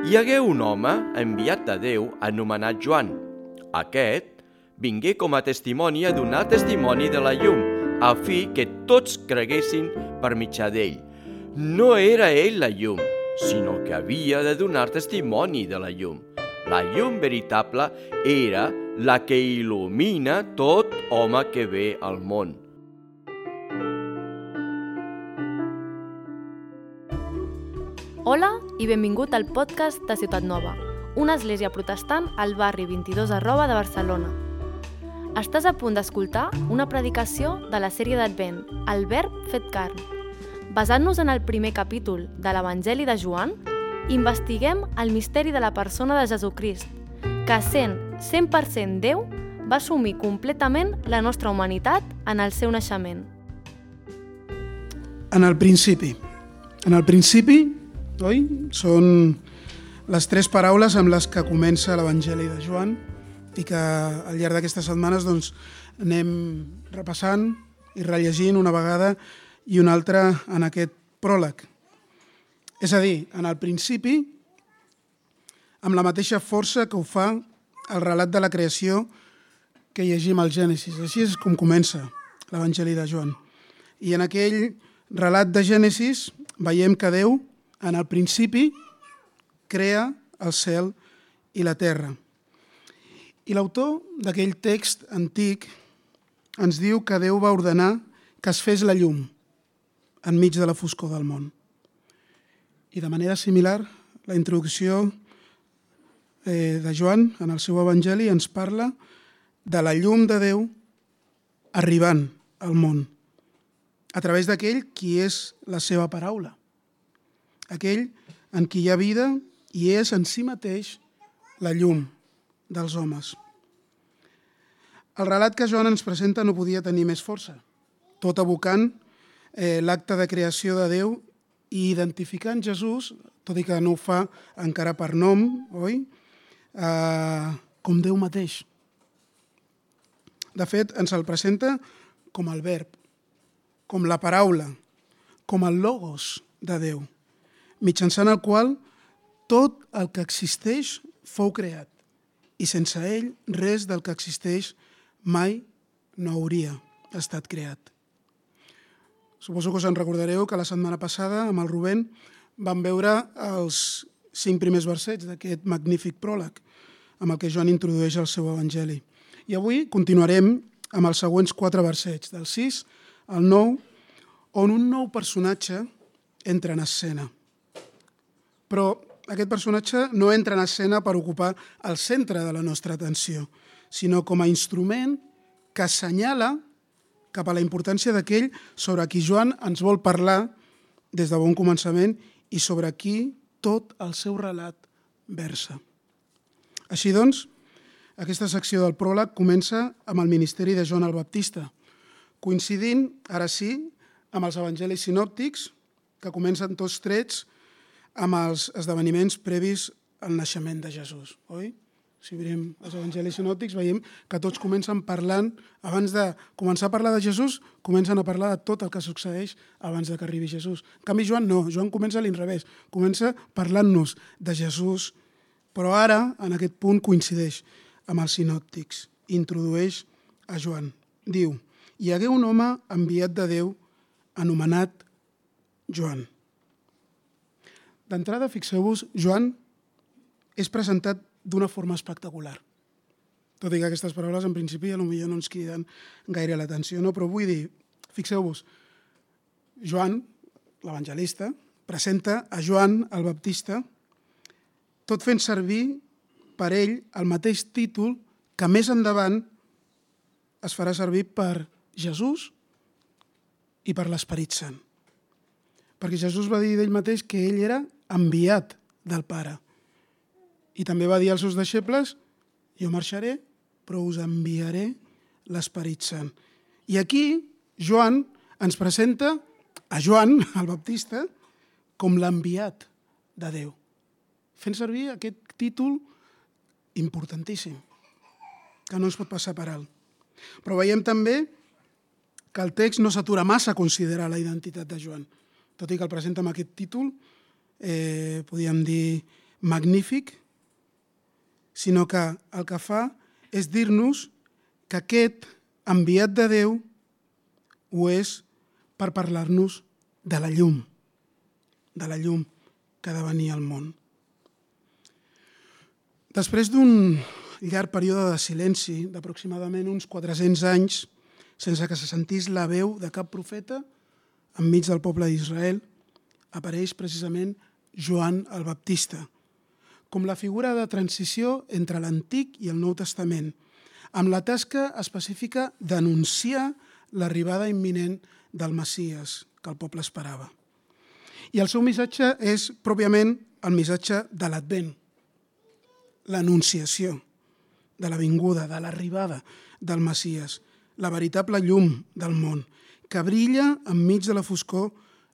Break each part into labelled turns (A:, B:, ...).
A: Hi hagué un home enviat de Déu anomenat Joan. Aquest vingué com a testimoni a donar testimoni de la llum, a fi que tots creguessin per mitjà d'ell. No era ell la llum, sinó que havia de donar testimoni de la llum. La llum veritable era la que il·lumina tot home que ve al món.
B: Hola i benvingut al podcast de Ciutat Nova, una església protestant al barri 22 Arroba de Barcelona. Estàs a punt d'escoltar una predicació de la sèrie d'Advent, El Verb fet carn. Basant-nos en el primer capítol de l'Evangeli de Joan, investiguem el misteri de la persona de Jesucrist, que sent 100% Déu, va assumir completament la nostra humanitat en el seu naixement.
C: En el principi, oi? Són les tres paraules amb les que comença l'Evangeli de Joan i que al llarg d'aquestes setmanes anem repassant i rellegint una vegada i una altra en aquest pròleg. És a dir, en el principi, amb la mateixa força que ho fa el relat de la creació que llegim al Gènesis. Així és com comença l'Evangeli de Joan. I en aquell relat de Gènesis veiem que Déu, en el principi, crea el cel i la terra. I l'autor d'aquell text antic ens diu que Déu va ordenar que es fes la llum enmig de la foscor del món. I de manera similar, la introducció de Joan en el seu Evangeli ens parla de la llum de Déu arribant al món, a través d'aquell qui és la seva paraula, aquell en qui hi ha vida i és en si mateix la llum dels homes. El relat que Joan ens presenta no podia tenir més força, tot evocant l'acte de creació de Déu i identificant Jesús, tot i que no ho fa encara per nom, oi? Com Déu mateix. De fet, ens el presenta com el verb, com la paraula, com el logos de Déu, mitjançant el qual tot el que existeix fou creat i sense ell res del que existeix mai no hauria estat creat. Suposo que us en recordareu que la setmana passada amb el Rubén vam veure els 5 primers versets d'aquest magnífic pròleg amb el que Joan introdueix el seu Evangeli. I avui continuarem amb els següents 4 versets, del 6 al 9, on un nou personatge entra en escena. Però aquest personatge no entra en escena per ocupar el centre de la nostra atenció, sinó com a instrument que assenyala cap a la importància d'aquell sobre qui Joan ens vol parlar des de bon començament i sobre qui tot el seu relat versa. Així doncs, aquesta secció del pròleg comença amb el ministeri de Joan el Baptista, coincidint, ara sí, amb els evangelis sinòptics, que comencen tots trets amb els esdeveniments previs al naixement de Jesús, oi? Si mirem els evangelis sinòptics, veiem que tots comencen parlant, abans de començar a parlar de Jesús, comencen a parlar de tot el que succeeix abans que arribi Jesús. En canvi, Joan no, Joan comença a l'inrevés, comença parlant-nos de Jesús, però ara, en aquest punt, coincideix amb els sinòptics, introdueix a Joan. Diu, hi hagué un home enviat de Déu anomenat Joan. D'entrada, fixeu-vos, Joan és presentat d'una forma espectacular. Tot i que aquestes paraules, en principi, potser no ens criden gaire l'atenció, no? Però vull dir, fixeu-vos, Joan, l'evangelista, presenta a Joan el Baptista, tot fent servir per ell el mateix títol que més endavant es farà servir per Jesús i per l'Esperit Sant. Perquè Jesús va dir d'ell mateix que ell era enviat del Pare. I també va dir als seus deixebles, jo marxaré, però us enviaré l'Esperit Sant. I aquí Joan ens presenta a Joan, el Baptista, com l'enviat de Déu, fent servir aquest títol importantíssim, que no ens pot passar per alt. Però veiem també que el text no s'atura massa a considerar la identitat de Joan, tot i que el presenta amb aquest títol, podríem dir magnífic, sinó que el que fa és dir-nos que aquest enviat de Déu ho és per parlar-nos de la llum que ha de venir al món. Després d'un llarg període de silenci, d'aproximadament uns 400 anys, sense que se sentís la veu de cap profeta enmig del poble d'Israel, apareix precisament Joan el Baptista, com la figura de transició entre l'Antic i el Nou Testament, amb la tasca específica d'anunciar l'arribada imminent del Messies que el poble esperava. I el seu missatge és pròpiament el missatge de l'Advent, l'anunciació de la vinguda, de l'arribada del Messies, la veritable llum del món, que brilla enmig de la foscor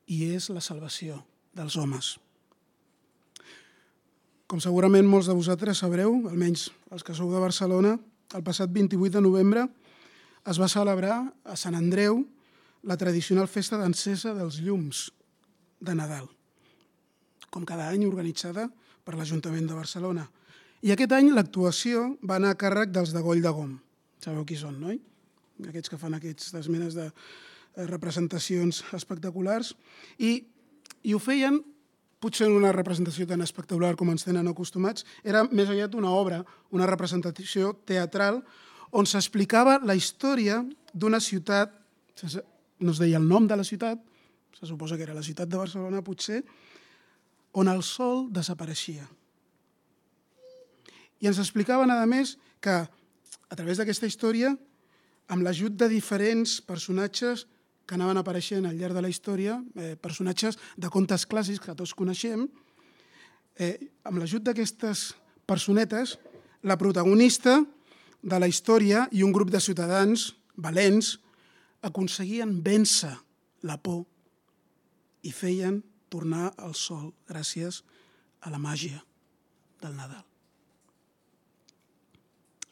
C: i és la salvació dels homes. Com segurament molts de vosaltres sabreu, almenys els que sou de Barcelona, el passat 28 de novembre es va celebrar a Sant Andreu la tradicional festa d'encesa dels llums de Nadal, com cada any organitzada per l'Ajuntament de Barcelona. I aquest any l'actuació va anar a càrrec dels de Goll de Gom. Sabeu qui són, no? Aquests que fan aquestes menes de representacions espectaculars. I ho feien, potser en una representació tan espectacular com ens tenen acostumats, era més aviat una obra, una representació teatral, on s'explicava la història d'una ciutat, no es deia el nom de la ciutat, se suposa que era la ciutat de Barcelona potser, on el sol desapareixia. I ens explicaven, a més, que a través d'aquesta història, amb l'ajut de diferents personatges que anaven apareixent al llarg de la història, personatges de contes clàssics que tots coneixem, amb l'ajut d'aquestes personetes, la protagonista de la història i un grup de ciutadans valents aconseguien vèncer la por i feien tornar el sol gràcies a la màgia del Nadal.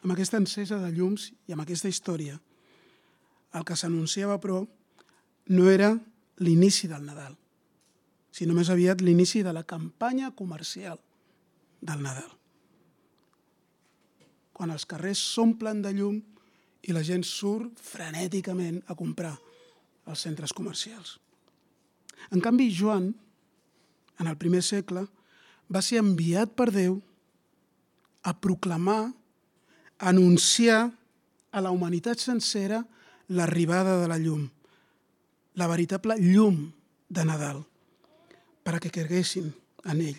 C: Amb aquesta encesa de llums i amb aquesta història, el que s'anunciava, però, no era l'inici del Nadal, sinó més aviat l'inici de la campanya comercial del Nadal. Quan els carrers s'omplen de llum i la gent surt frenèticament a comprar als centres comercials. En canvi, Joan, en el primer segle, va ser enviat per Déu a proclamar, a anunciar a la humanitat sencera l'arribada de la llum, la veritable llum de Nadal, perquè creguessin en ell.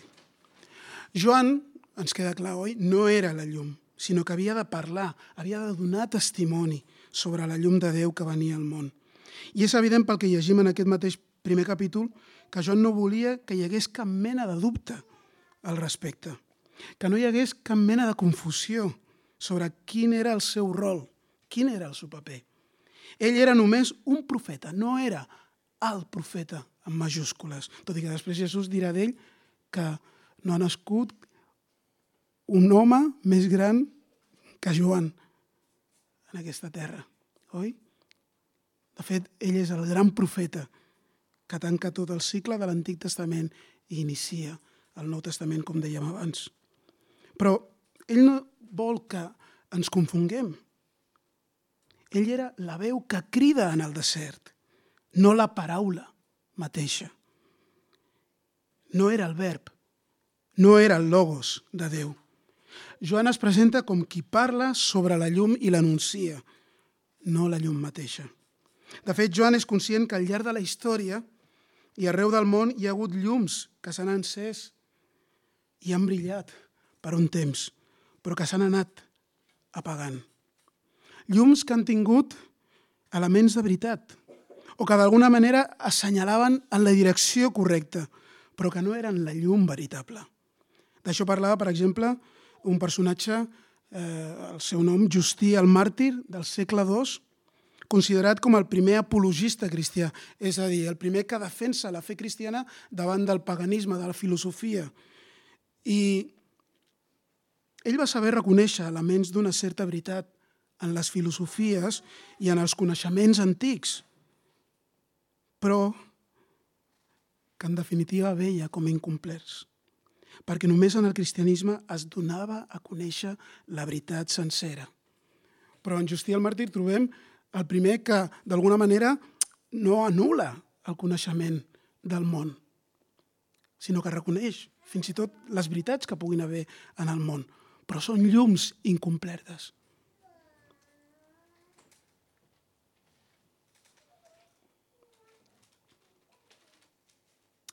C: Joan, ens queda clar, oi? No era la llum, sinó que havia de parlar, havia de donar testimoni sobre la llum de Déu que venia al món. I és evident pel que llegim en aquest mateix primer capítol que Joan no volia que hi hagués cap mena de dubte al respecte, que no hi hagués cap mena de confusió sobre quin era el seu rol, quin era el seu paper. Ell era només un profeta, no era el profeta en majúscules, tot i que després Jesús dirà d'ell que no ha nascut un home més gran que Joan en aquesta terra, oi? De fet, ell és el gran profeta que tanca tot el cicle de l'Antic Testament i inicia el Nou Testament, com dèiem abans. Però ell no vol que ens confonguem. Ell era la veu que crida en el desert, no la paraula mateixa. No era el verb, no era el logos de Déu. Joan es presenta com qui parla sobre la llum i l'anuncia, no la llum mateixa. De fet, Joan és conscient que al llarg de la història i arreu del món hi ha hagut llums que s'han encès i han brillat per un temps, però que s'han anat apagant. Llums que han tingut elements de veritat o que d'alguna manera assenyalaven en la direcció correcta, però que no eren la llum veritable. D'això parlava, per exemple, un personatge, el seu nom, Justí el Màrtir, del segle II, considerat com el primer apologista cristià, és a dir, el primer que defensa la fe cristiana davant del paganisme, de la filosofia. I ell va saber reconèixer elements d'una certa veritat en les filosofies i en els coneixements antics, però que en definitiva veia com incomplerts. perquè només en el cristianisme es donava a conèixer la veritat sencera. Però en Justí el Màrtir trobem el primer que, d'alguna manera, no anul·la el coneixement del món, sinó que reconeix fins i tot les veritats que puguin haver en el món, però són llums incomplertes.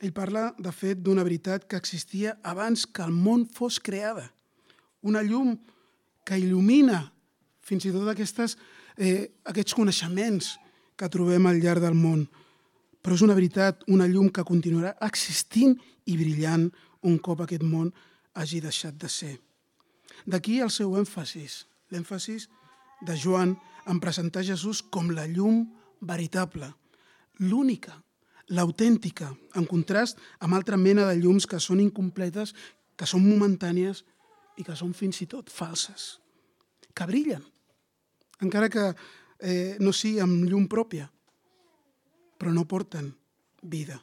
C: Ell parla, de fet, d'una veritat que existia abans que el món fos creada. Una llum que il·lumina fins i tot aquests coneixements que trobem al llarg del món. Però és una veritat, una llum que continuarà existint i brillant un cop aquest món hagi deixat de ser. D'aquí el seu èmfasis, l'èmfasis de Joan en presentar Jesús com la llum veritable, l'única, l'autèntica, en contrast amb altra mena de llums que són incompletes, que són momentànies i que són fins i tot falses, que brillen, encara que no sigui amb llum pròpia, però no porten vida.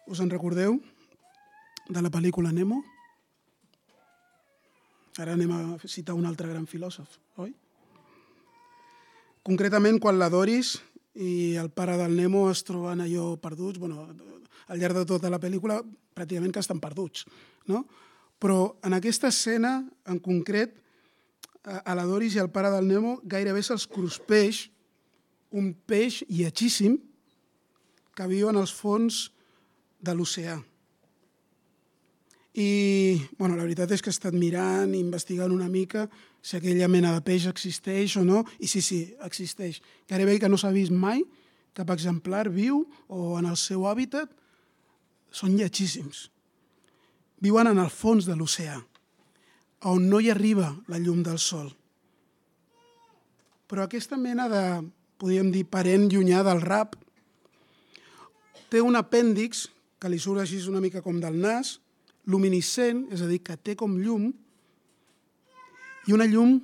C: Us en recordeu de la pel·lícula Nemo? Ara anem a citar un altre gran filòsof, oi? Concretament, quan la Doris i el pare del Nemo es troben allò perduts, al llarg de tota la pel·lícula pràcticament que estan perduts, no? Però en aquesta escena, en concret, a la Doris i al pare del Nemo gairebé se'ls cruspeix un peix lletgíssim que viu en els fons de l'oceà. I la veritat és que he estat mirant i investigant una mica si aquella mena de peix existeix o no, i sí, existeix. Gairebé que no s'ha vist mai cap exemplar viu o en el seu hàbitat, són lletgíssims. Viuen en el fons de l'oceà, on no hi arriba la llum del sol. Però aquesta mena de, podríem dir, parent llunyà del rap, té un apèndix que li surt així una mica com del nas, luminescent, és a dir, que té com llum, i una llum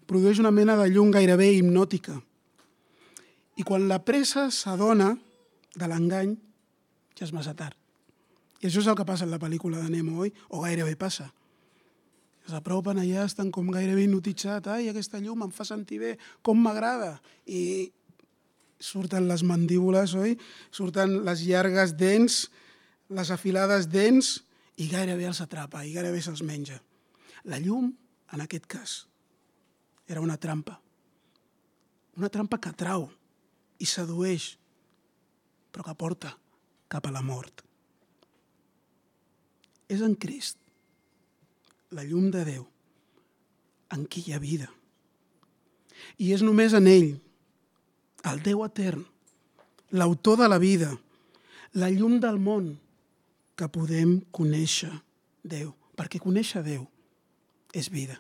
C: produeix una mena de llum gairebé hipnòtica. I quan la presa s'adona de l'engany, ja és massa tard. I això és el que passa en la pel·lícula de Nemo, oi? O gairebé passa. S'apropen allà, estan com gairebé hipnotitzats. Ai, aquesta llum em fa sentir bé, com m'agrada. I surten les mandíbules, oi? Surten les llargues dents, les afilades dents, i gairebé els atrapa, i gairebé se'ls menja. La llum, en aquest cas, era una trampa. Una trampa que atrau i sedueix, però que porta cap a la mort. És en Crist, la llum de Déu, en qui hi ha vida. I és només en ell, el Déu etern, l'autor de la vida, la llum del món, que podem conèixer Déu, perquè conèixer Déu és vida.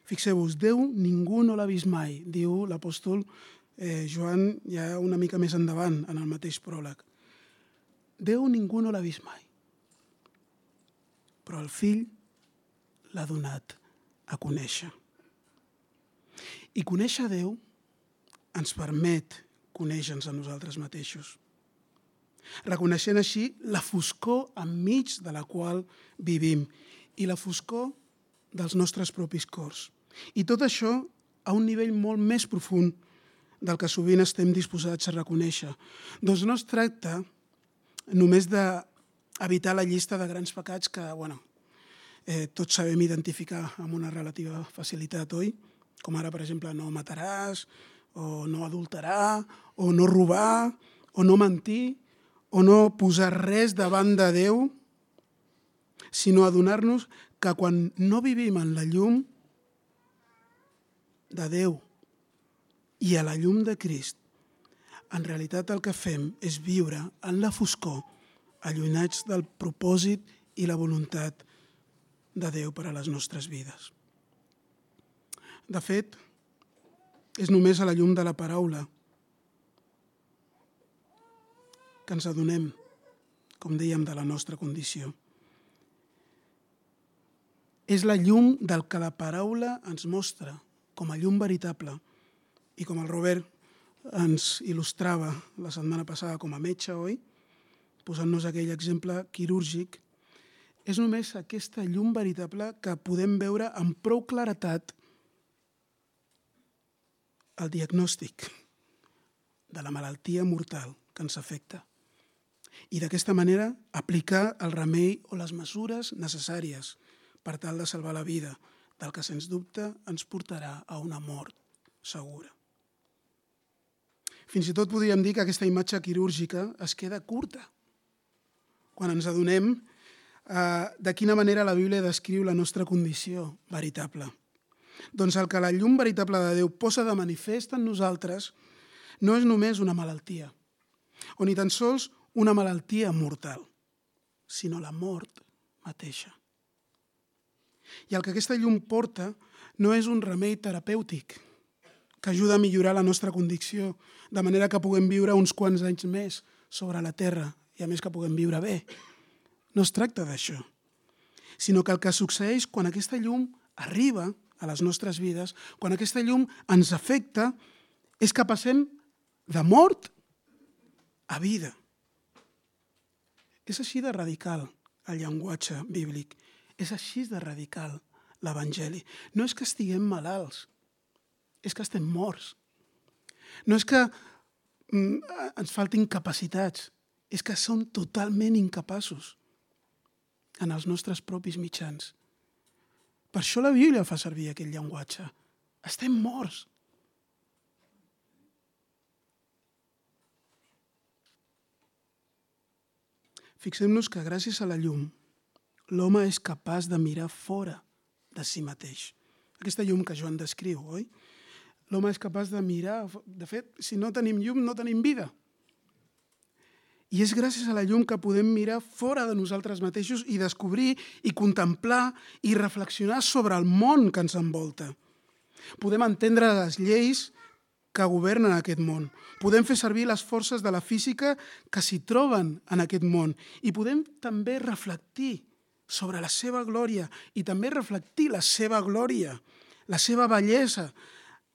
C: Fixeu-vos, Déu ningú no l'ha vist mai, diu l'apòstol Joan ja una mica més endavant en el mateix pròleg. Déu ningú no l'ha vist mai, però el Fill l'ha donat a conèixer. I conèixer Déu ens permet conèixer-nos a nosaltres mateixos, reconeixent així la foscor enmig de la qual vivim i la foscor dels nostres propis cors. I tot això a un nivell molt més profund del que sovint estem disposats a reconèixer. Doncs no es tracta només d'evitar la llista de grans pecats que, tots sabem identificar amb una relativa facilitat, oi? Com ara, per exemple, no mataràs, o no adulterar, o no robar, o no mentir, o no posar res davant de Déu, sinó adonar-nos que quan no vivim en la llum de Déu i a la llum de Crist, en realitat el que fem és viure en la foscor, allunyats del propòsit i la voluntat de Déu per a les nostres vides. De fet, és només a la llum de la paraula que ens adonem, com dèiem, de la nostra condició. És la llum del que la paraula ens mostra com a llum veritable i com el Robert ens il·lustrava la setmana passada com a metge, oi? posant-nos aquell exemple quirúrgic, és només aquesta llum veritable que podem veure amb prou claretat el diagnòstic de la malaltia mortal que ens afecta i d'aquesta manera aplicar el remei o les mesures necessàries per tal de salvar la vida del que sens dubte ens portarà a una mort segura. Fins i tot podríem dir que aquesta imatge quirúrgica es queda curta quan ens adonem de quina manera la Bíblia descriu la nostra condició veritable. Doncs el que la llum veritable de Déu posa de manifest en nosaltres no és només una malaltia, o ni tan sols una malaltia mortal, sinó la mort mateixa. I el que aquesta llum porta no és un remei terapèutic que ajuda a millorar la nostra condició, de manera que puguem viure uns quants anys més sobre la terra i a més que puguem viure bé. No es tracta d'això, sinó que el que succeeix quan aquesta llum arriba a les nostres vides, quan aquesta llum ens afecta, és que passem de mort a vida. És així de radical el llenguatge bíblic, és així de radical l'Evangeli. No és que estiguem malalts, és que estem morts. No és que ens faltin capacitats, és que som totalment incapaços en els nostres propis mitjans. Per això la Bíblia fa servir aquest llenguatge. Estem morts. Fixem-nos que gràcies a la llum, l'home és capaç de mirar fora de si mateix. Aquesta llum que Joan descriu, oi? L'home és capaç de mirar... De fet, si no tenim llum, no tenim vida. I és gràcies a la llum que podem mirar fora de nosaltres mateixos i descobrir i contemplar i reflexionar sobre el món que ens envolta. Podem entendre les lleis que governen aquest món. Podem fer servir les forces de la física que s'hi troben en aquest món. I podem també reflectir sobre la seva glòria i també reflectir la seva glòria, la seva bellesa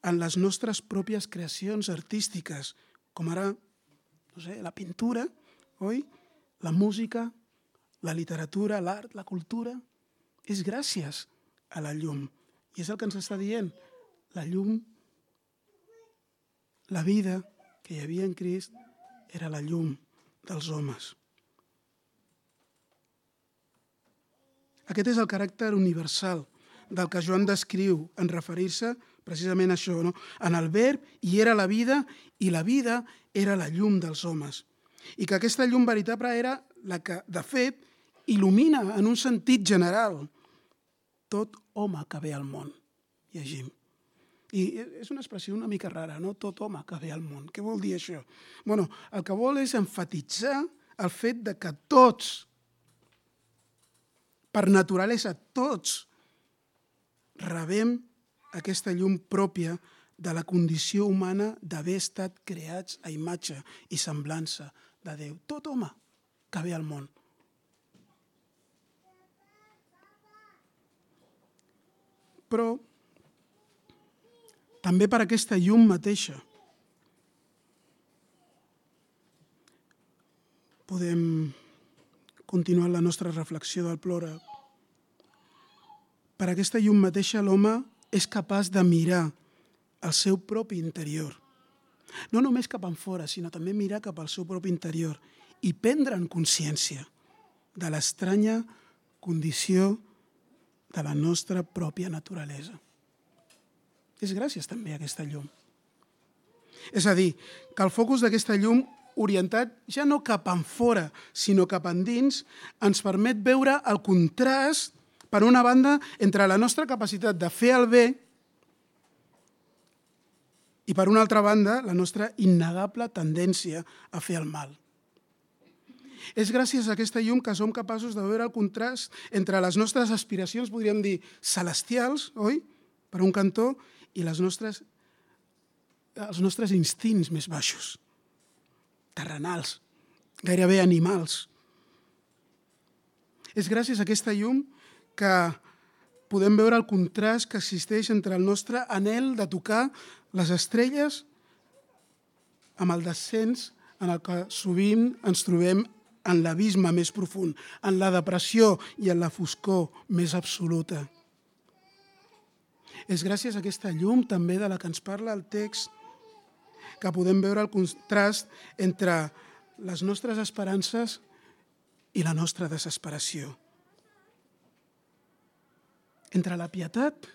C: en les nostres pròpies creacions artístiques, com ara, no sé, la pintura, oi? La música, la literatura, l'art, la cultura, és gràcies a la llum. I és el que ens està dient. La llum, la vida que hi havia en Crist, era la llum dels homes. Aquest és el caràcter universal del que Joan descriu en referir-se precisament a això, no? En el verb hi era la vida i la vida era la llum dels homes. I que aquesta llum veritable era la que, de fet, il·lumina en un sentit general tot home que ve al món. Llegim. I és una expressió una mica rara, no? Tot home que ve al món. Què vol dir això? Bueno, el que vol és emfatitzar el fet de que tots, per naturalesa tots, rebem aquesta llum pròpia de la condició humana d'haver estat creats a imatge i semblança de Déu. Tot home que ve al món. Però també per aquesta llum mateixa podem continuar la nostra reflexió del plora. Per aquesta llum mateixa l'home és capaç de mirar el seu propi interior. No només cap enfora, sinó també mirar cap al seu propi interior i prendre en consciència de l'estranya condició de la nostra pròpia naturalesa. És gràcies també a aquesta llum. És a dir, que el focus d'aquesta llum, orientat ja no cap enfora, sinó cap endins, ens permet veure el contrast, per una banda, entre la nostra capacitat de fer el bé i, per una altra banda, la nostra innegable tendència a fer el mal. És gràcies a aquesta llum que som capaços de veure el contrast entre les nostres aspiracions, podríem dir, celestials, oi?, per un cantó, i els nostres instints més baixos, terrenals, gairebé animals. És gràcies a aquesta llum que podem veure el contrast que existeix entre el nostre anhel de tocar les estrelles amb el descens en el que sovint ens trobem en l'abisme més profund, en la depressió i en la foscor més absoluta. És gràcies a aquesta llum també de la que ens parla el text que podem veure el contrast entre les nostres esperances i la nostra desesperació. Entre la pietat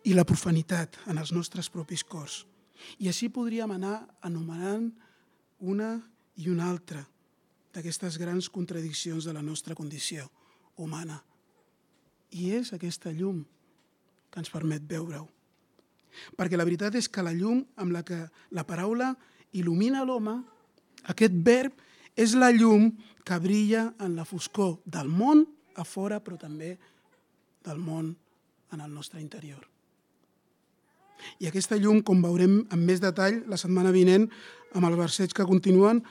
C: i la profanitat en els nostres propis cors. I així podríem anar anomenant una i una altra d'aquestes grans contradiccions de la nostra condició humana. I és aquesta llum que ens permet veure-ho. Perquè la veritat és que la llum amb la que la paraula il·lumina l'home, aquest verb, és la llum que brilla en la foscor del món a fora, però també del món en el nostre interior. I aquesta llum, com veurem amb més detall la setmana vinent, amb els versets que continuen,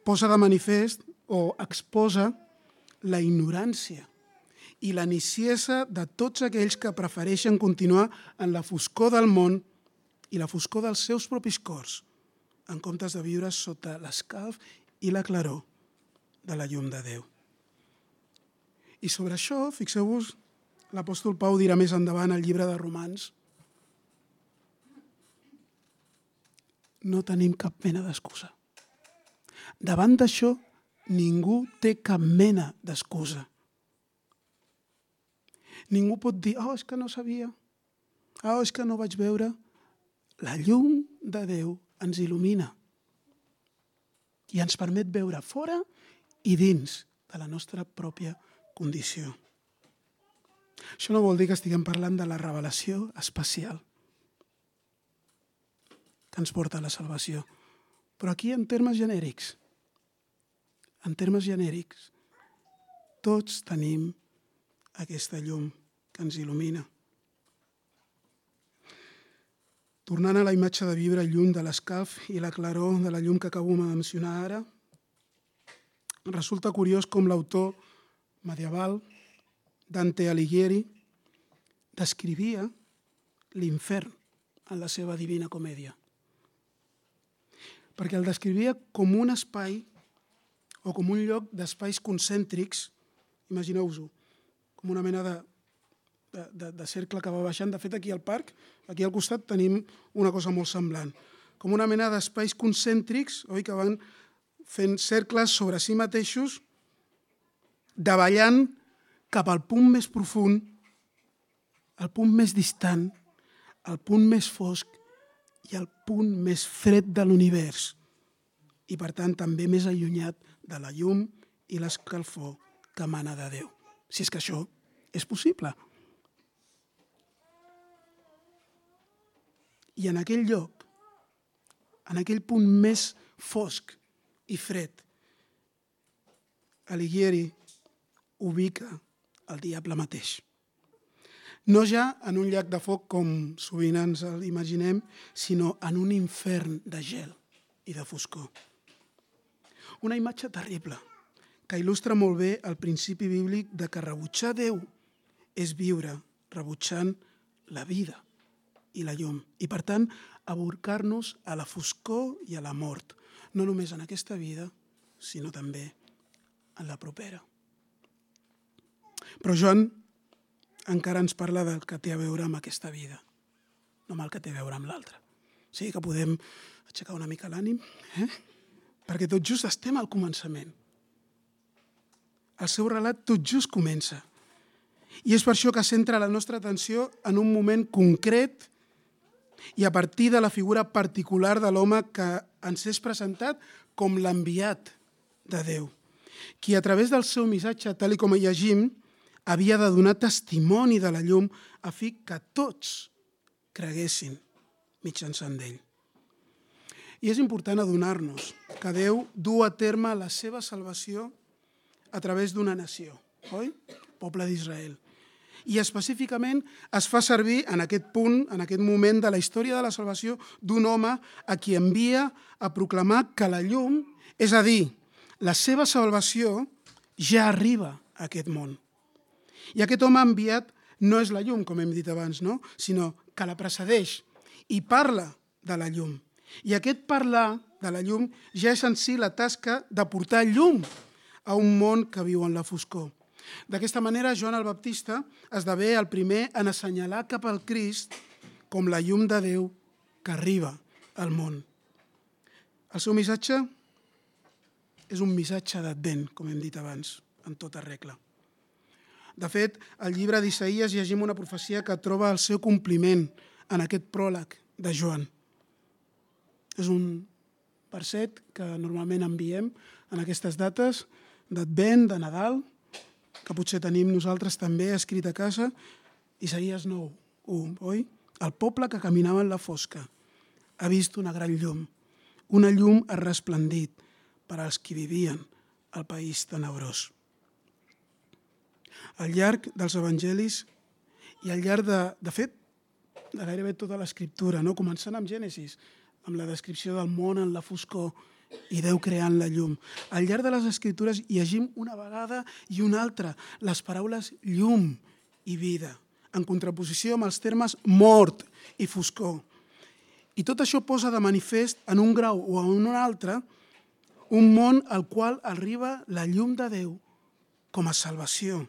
C: posa de manifest o exposa la ignorància i la niciesa de tots aquells que prefereixen continuar en la foscor del món i la foscor dels seus propis cors, en comptes de viure sota l'escalf i la claror de la llum de Déu. I sobre això, fixeu-vos, l'apòstol Pau dirà més endavant al llibre de Romans: no tenim cap mena d'excusa. Davant d'això, ningú té cap mena d'excusa. Ningú pot dir, és que no sabia, és que no vaig veure. La llum de Déu ens il·lumina i ens permet veure fora i dins de la nostra pròpia condició. Això no vol dir que estiguem parlant de la revelació especial que ens porta a la salvació. Però aquí, en termes genèrics, tots tenim aquesta llum que ens il·lumina. Tornant a la imatge de viure lluny de l'escalf i la claror de la llum que acabo de mencionar ara, resulta curiós com l'autor medieval, Dante Alighieri, descrivia l'infern en la seva Divina Comèdia. Perquè el descrivia com un espai o com un lloc d'espais concèntrics, imagineu-vos-ho, com una mena de cercle que va baixant. De fet, aquí al parc, aquí al costat, tenim una cosa molt semblant. Com una mena d'espais concèntrics, oi, que van fent cercles sobre si mateixos, davallant cap al punt més profund, al punt més distant, al punt més fosc i al punt més fred de l'univers. I, per tant, també més allunyat de la llum i l'escalfor que emana de Déu. Si és que això és possible. I en aquell lloc, en aquell punt més fosc i fred, Alighieri ubica el diable mateix. No ja en un llac de foc com sovint ens l'imaginem, sinó en un infern de gel i de foscor. Una imatge terrible que il·lustra molt bé el principi bíblic de que rebutjar Déu és viure rebutjant la vida i la llum. I, per tant, aborcar-nos a la foscor i a la mort, no només en aquesta vida, sinó també en la propera. Però Joan encara ens parla del que té a veure amb aquesta vida, no amb el que té a veure amb l'altra. O sigui que podem aixecar una mica l'ànim, perquè tot just estem al començament. El seu relat tot just comença. I és per això que centra la nostra atenció en un moment concret i a partir de la figura particular de l'home que ens és presentat com l'enviat de Déu, qui a través del seu missatge, tal com llegim, havia de donar testimoni de la llum a fi que tots creguessin mitjançant d'ell. I és important adonar-nos que Déu du a terme la seva salvació a través d'una nació, oi? Poble d'Israel. I específicament es fa servir en aquest punt, en aquest moment de la història de la salvació, d'un home a qui envia a proclamar que la llum, és a dir, la seva salvació, ja arriba a aquest món. I aquest home enviat no és la llum, com hem dit abans, no? Sinó que la precedeix i parla de la llum. I aquest parlar de la llum ja és en si la tasca de portar llum a un món que viu en la foscor. D'aquesta manera, Joan el Baptista esdevé el primer en assenyalar cap al Crist com la llum de Déu que arriba al món. El seu missatge és un missatge d'Advent, com hem dit abans, en tota regla. De fet, al llibre d'Isaïes llegim una profecia que troba el seu compliment en aquest pròleg de Joan. És un verset que normalment enviem en aquestes dates d'Advent, de Nadal, que potser tenim nosaltres també escrit a casa, Isaïes 9:1, oi? El poble que caminava en la fosca ha vist una gran llum. Una llum ha resplendit per als qui vivien al país tenebrós. Al llarg dels evangelis i al llarg de fet, de gairebé tota l'escriptura, no? Començant amb Gènesis, amb la descripció del món en la foscor i Déu creant la llum. Al llarg de les escritures llegim una vegada i una altra les paraules llum i vida, en contraposició amb els termes mort i foscor. I tot això posa de manifest en un grau o en un altre un món al qual arriba la llum de Déu com a salvació,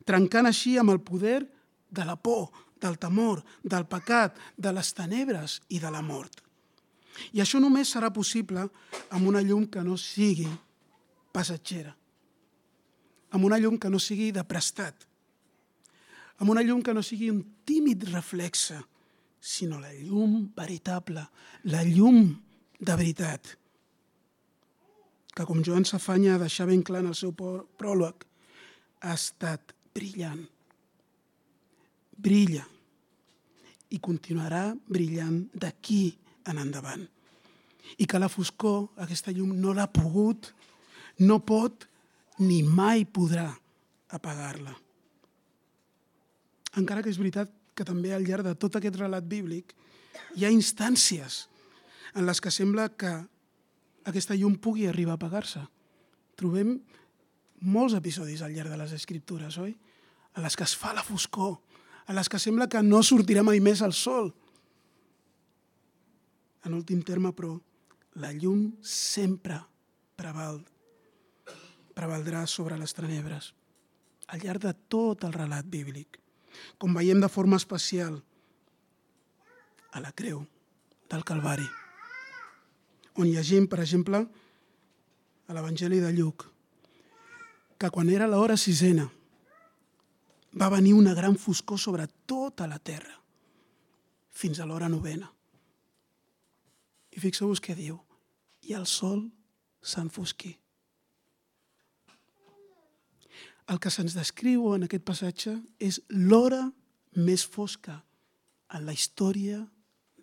C: trencant així amb el poder de la por, del temor, del pecat, de les tenebres i de la mort. I això només serà possible amb una llum que no sigui passatgera, amb una llum que no sigui de prestat, amb una llum que no sigui un tímid reflexe, sinó la llum veritable, la llum de veritat, que com Joan s'afanya a deixar ben clar en el seu pròleg, ha estat brillant. Brilla i continuarà brillant d'aquí en endavant. I que la foscor, aquesta llum, no l'ha pogut, no pot ni mai podrà apagar-la. Encara que és veritat que també al llarg de tot aquest relat bíblic hi ha instàncies en les que sembla que aquesta llum pugui arribar a apagar-se. Trobem molts episodis al llarg de les Escriptures, oi? En les que es fa la foscor, en les que sembla que no sortirà mai més el sol. En últim terme, però, la llum sempre prevaldrà sobre les tenebres, al llarg de tot el relat bíblic, com veiem de forma especial a la creu del Calvari, on llegim, per exemple, a l'Evangeli de Lluc, que quan era l'hora sisena va venir una gran foscor sobre tota la terra, fins a l'hora novena. I fixeu-vos què diu, i el sol s'enfosquí. El que se'ns descriu en aquest passatge és l'hora més fosca en la història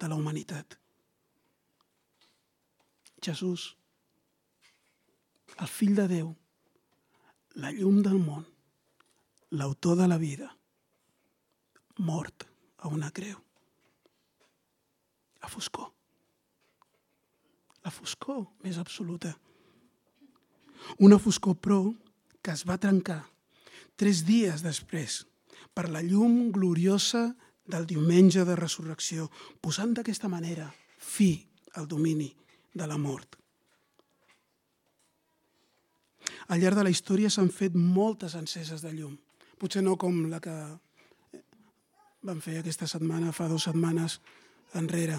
C: de la humanitat. Jesús, el fill de Déu, la llum del món, l'autor de la vida, mort a una creu. La foscor. La foscor més absoluta. Una foscor, però, que es va trencar 3 dies després per la llum gloriosa del diumenge de resurrecció, posant d'aquesta manera fi al domini de la mort. Al llarg de la història s'han fet moltes enceses de llum. Potser no com la que van fer aquesta setmana, fa 2 setmanes enrere,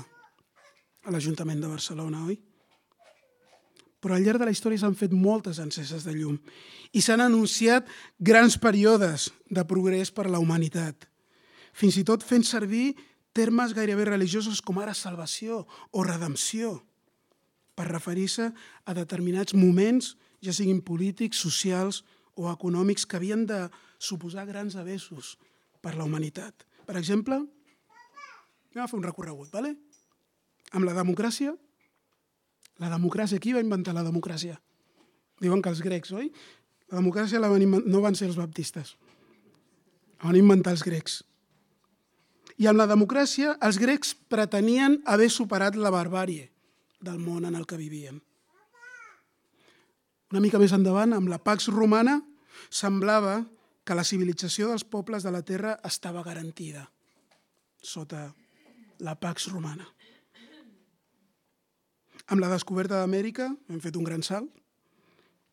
C: a l'Ajuntament de Barcelona, oi? Però al llarg de la història s'han fet moltes enceses de llum i s'han anunciat grans períodes de progrés per a la humanitat, fins i tot fent servir termes gairebé religiosos com ara salvació o redempció, per referir-se a determinats moments, ja siguin polítics, socials o econòmics, que havien de suposar grans avenços per a la humanitat. Per exemple, anem a fer un recorregut, d'acord? Amb la democràcia, qui va inventar la democràcia? Diuen que els grecs, oi? La democràcia no van ser els baptistes, la van inventar els grecs. I amb la democràcia, els grecs pretenien haver superat la barbàrie del món en el que vivien. Una mica més endavant, amb la Pax Romana, semblava que la civilització dels pobles de la terra estava garantida sota la Pax Romana. Amb la descoberta d'Amèrica hem fet un gran salt.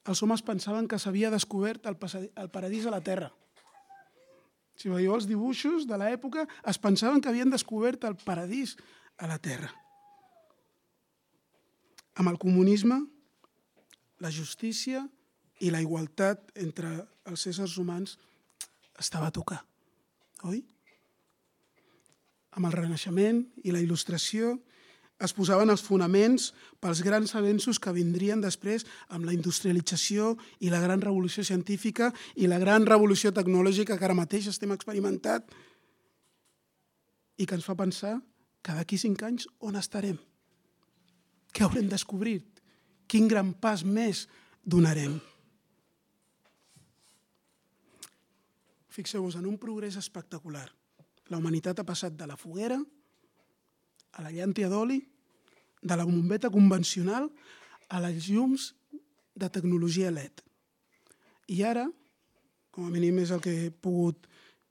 C: els homes pensaven que s'havia descobert el paradís a la Terra. Si veieu els dibuixos de l'època, es pensaven que havien descobert el paradís a la Terra. Amb el comunisme, la justícia i la igualtat entre els éssers humans estava a tocar, oi? Amb el Renaixement i la Il·lustració es posaven els fonaments pels grans avenços que vindrien després amb la industrialització i la gran revolució científica i la gran revolució tecnològica que ara mateix estem experimentant i que ens fa pensar que d'aquí 5 anys on estarem? Què haurem descobert? Quin gran pas més donarem? Fixeu-vos en un progrés espectacular. La humanitat ha passat de la foguera a la llàntia d'oli, de la bombeta convencional a les llums de tecnologia LED. I ara, com a mínim és el que he pogut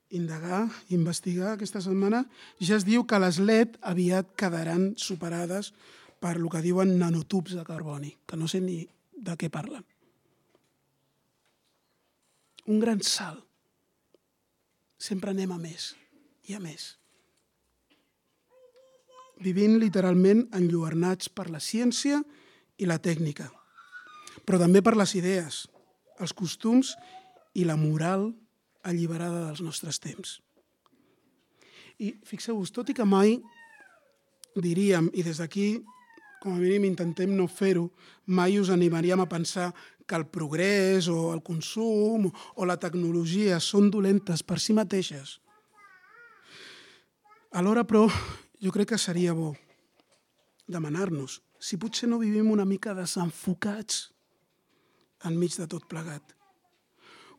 C: indagar, investigar aquesta setmana, ja es diu que les LED aviat quedaran superades per el que diuen nanotubs de carboni, que no sé ni de què parlen. Un gran salt. Sempre anem a més i a més. Vivint literalment enlluernats per la ciència i la tècnica, però també per les idees, els costums i la moral alliberada dels nostres temps. I fixeu-vos, tot i que mai diríem, i des d'aquí, com a mínim intentem no fer-ho, mai us animaríem a pensar que el progrés o el consum o la tecnologia són dolentes per si mateixes. Alhora, però, jo crec que seria bo demanar-nos si potser no vivim una mica desenfocats enmig de tot plegat.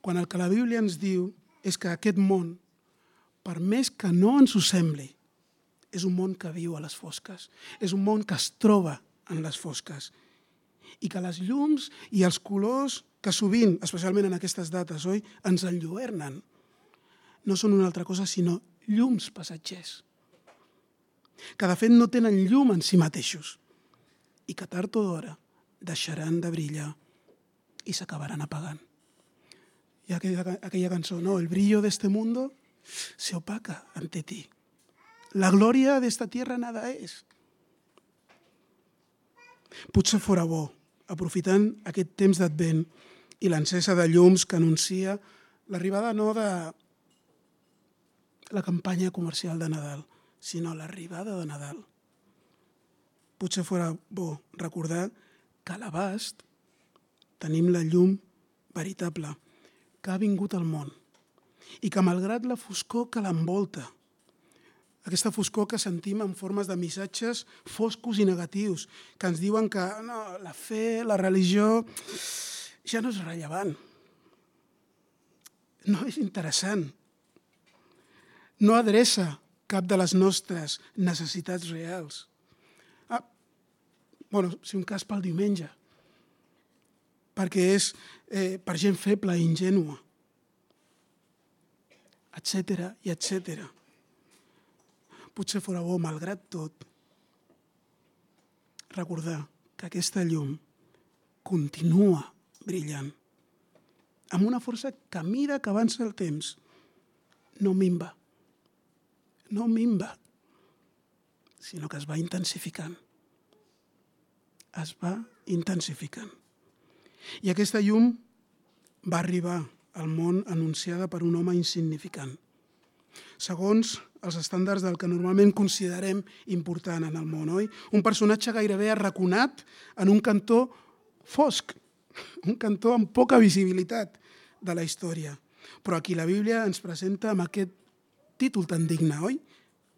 C: Quan el que la Bíblia ens diu és que aquest món, per més que no ens ho sembli, és un món que viu a les fosques, és un món que es troba en les fosques i que les llums i els colors que sovint, especialment en aquestes dates, oi, ens enlluernen, no són una altra cosa sinó llums passatgers, que de fet no tenen llum en si mateixos i que tard o d'hora deixaran de brillar i s'acabaran apagant. Hi ha aquella cançó, no? El brillo de este mundo se opaca ante ti. La gloria de esta tierra nada es. Potser fora bo, aprofitant aquest temps d'Advent i l'encesa de llums que anuncia l'arribada no de la campanya comercial de Nadal, sinó l'arribada de Nadal. Potser fora bo recordar que a l'abast tenim la llum veritable que ha vingut al món i que malgrat la foscor que l'envolta, aquesta foscor que sentim en formes de missatges foscos i negatius, que ens diuen que no, la fe, la religió, ja no és rellevant, no és interessant, no adreça cap de les nostres necessitats reals. Si un cas pel diumenge, perquè és per gent feble i ingènua, etcètera i etcètera. Potser fora bo, malgrat tot, recordar que aquesta llum continua brillant, amb una força que a mesura que avança el temps no minva, sinó que es va intensificant. Es va intensificant. I aquesta llum va arribar al món anunciada per un home insignificant, segons els estàndards del que normalment considerem important en el món, oi? Un personatge gairebé arraconat en un cantó fosc, un cantó amb poca visibilitat de la història, però aquí la Bíblia ens presenta amb aquest títol tan digne, oi?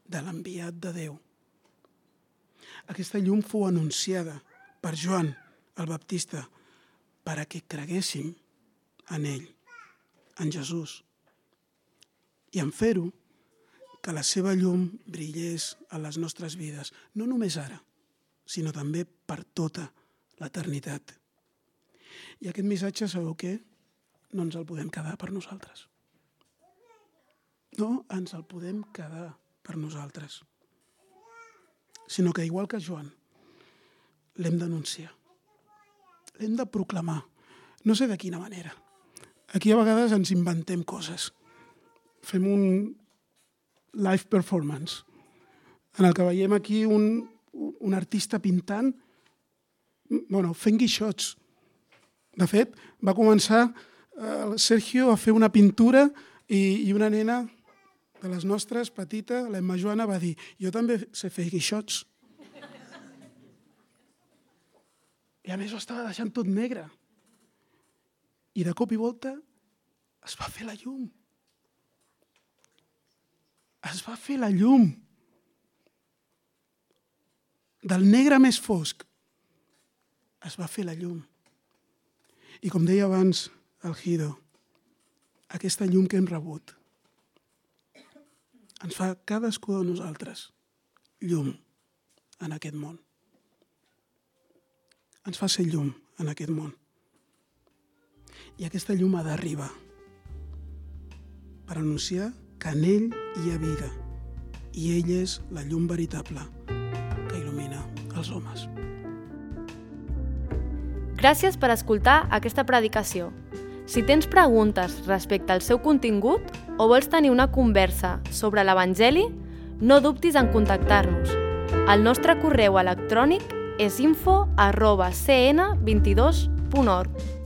C: De l'enviat de Déu. Aquesta llum fou anunciada per Joan el Baptista perquè creguéssim en ell, en Jesús. I en fer-ho, que la seva llum brillés a les nostres vides, no només ara, sinó també per tota l'eternitat. I aquest missatge, sabeu què? No ens el podem quedar per nosaltres. No ens el podem quedar per nosaltres, sinó que, igual que Joan, l'hem d'anunciar, l'hem de proclamar, no sé de quina manera. Aquí a vegades ens inventem coses. Fem un live performance en el que veiem aquí un artista pintant, fent guixots. De fet, va començar el Sergio a fer una pintura i una nena de les nostres, petita, l'Emma Joana, va dir: jo també sé fer guixots. I a més ho estava deixant tot negre. I de cop i volta es va fer la llum. Es va fer la llum. Del negre més fosc es va fer la llum. I com deia abans el Guido, aquesta llum que hem rebut ens fa cadascú de nosaltres llum en aquest món. Ens fa ser llum en aquest món. I aquesta llum ha d'arribar per anunciar que en ell hi ha vida i ell és la llum veritable que il·lumina els homes.
B: Gràcies per escoltar aquesta predicació. Si tens preguntes respecte al seu contingut o vols tenir una conversa sobre l'Evangeli, no dubtis en contactar-nos. El nostre correu electrònic és info@cn22.org.